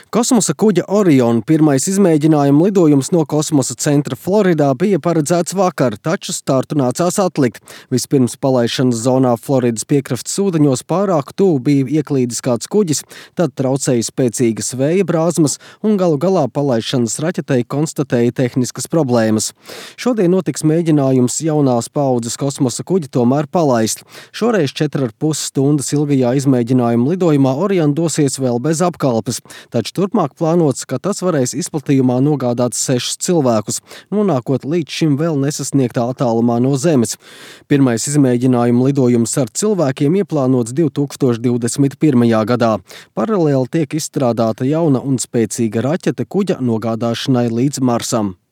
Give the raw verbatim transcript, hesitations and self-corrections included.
Kosmosa kuģa Orion pirmais izmēģinājuma lidojums no kosmosa centra Floridā bija paredzēts vakar, taču startu nācās atlikt. Vispirms palaišanas zonā Floridas piekrastes ūdeņos pārāk tuvu bija ieklīdis kāds kuģis, tad traucēja spēcīgas vēja brāzmas un galu galā palaišanas raķetei konstatēja tehniskas problēmas. Šodien notiks mēģinājums jaunās paaudzes kosmosa kuģi tomēr palaist. Šoreiz četras ar pus stundas ilgajā izmēģinājuma lidojumā Orion dosies vēl bez apkalpes, taču turpmāk plānots, ka tas varēs izplatījumā nogādāt sešus cilvēkus, nonākot līdz šim vēl nesasniegtā attālumā no Zemes. Pirmais izmēģinājuma lidojums ar cilvēkiem ieplānots divi tūkstoši divdesmit pirmajā gadā. Paralēli tiek izstrādāta jauna un spēcīga raķete kuģa nogādāšanai līdz Marsam.